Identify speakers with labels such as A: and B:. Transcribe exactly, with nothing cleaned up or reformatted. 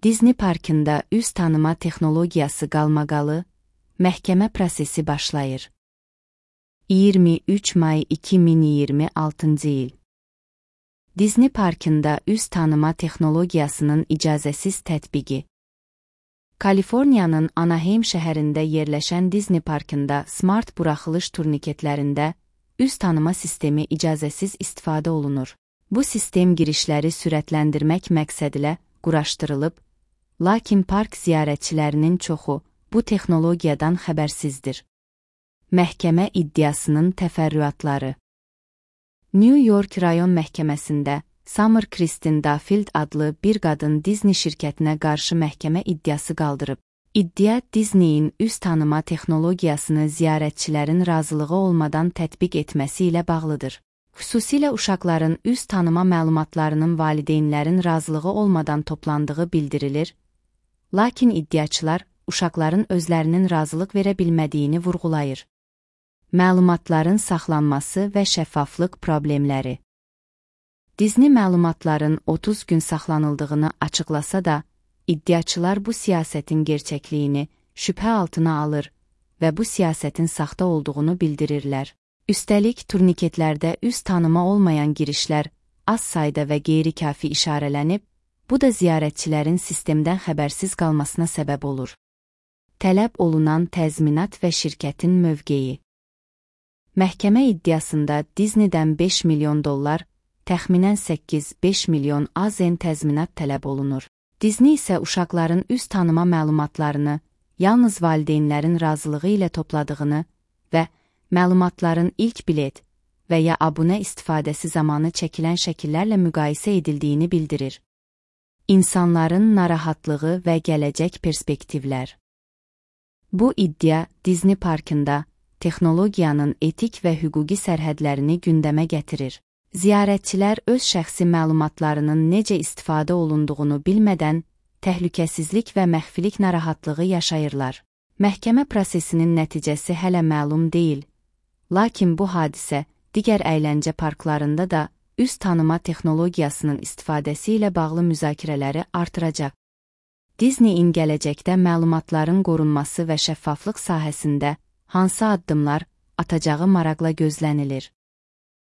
A: Disney parkında üz tanıma texnologiyası qalmaqalı, məhkəmə prosesi başlayır. iyirmi üç may iki min iyirmi altıncı il. Disney parkında üz tanıma texnologiyasının icazəsiz tətbiqi. Kaliforniyanın Anaheim şəhərində yerləşən Disney parkında smart buraxılış turniketlərində üz tanıma sistemi icazəsiz istifadə olunur. Bu sistem girişləri sürətləndirmək məqsədilə quraşdırılıb, lakin park ziyarətçilərinin çoxu bu texnologiyadan xəbərsizdir. Məhkəmə iddiasının təfərrüatları. New York rayon məhkəməsində Summer Kristin Duffield adlı bir qadın Disney şirkətinə qarşı məhkəmə iddiası qaldırıb. İddia Disneyin üz tanıma texnologiyasını ziyarətçilərin razılığı olmadan tətbiq etməsi ilə bağlıdır. Xüsusilə uşaqların üz tanıma məlumatlarının valideynlərin razılığı olmadan toplandığı bildirilir, lakin iddiaçılar uşaqların özlərinin razılıq verə bilmədiyini vurğulayır. Məlumatların saxlanması və şəffaflıq problemləri. Disney məlumatların otuz gün saxlanıldığını açıqlasa da, iddiaçılar bu siyasətin gerçəkliyini şübhə altına alır və bu siyasətin saxta olduğunu bildirirlər. Üstəlik, turniketlərdə üz tanıma olmayan girişlər az sayda və qeyri-kafi işarələnib, bu da ziyarətçilərin sistemdən xəbərsiz qalmasına səbəb olur. Tələb olunan təzminat və şirkətin mövqeyi. Məhkəmə iddiasında Disneydən beş milyon dollar, təxminən səkkiz beş milyon A Z N təzminat tələb olunur. Disney isə uşaqların üz tanıma məlumatlarını yalnız valideynlərin razılığı ilə topladığını və məlumatların ilk bilet və ya abunə istifadəsi zamanı çəkilən şəkillərlə müqayisə edildiyini bildirir. İnsanların narahatlığı və gələcək perspektivlər. Bu iddia Disney parkında texnologiyanın etik və hüquqi sərhədlərini gündəmə gətirir. Ziyarətçilər öz şəxsi məlumatlarının necə istifadə olunduğunu bilmədən təhlükəsizlik və məxfilik narahatlığı yaşayırlar. Məhkəmə prosesinin nəticəsi hələ məlum deyil, lakin bu hadisə digər əyləncə parklarında da üz tanıma texnologiyasının istifadəsi ilə bağlı müzakirələri artıracaq. Disneyin gələcəkdə məlumatların qorunması və şəffaflıq sahəsində hansı addımlar atacağı maraqla gözlənilir.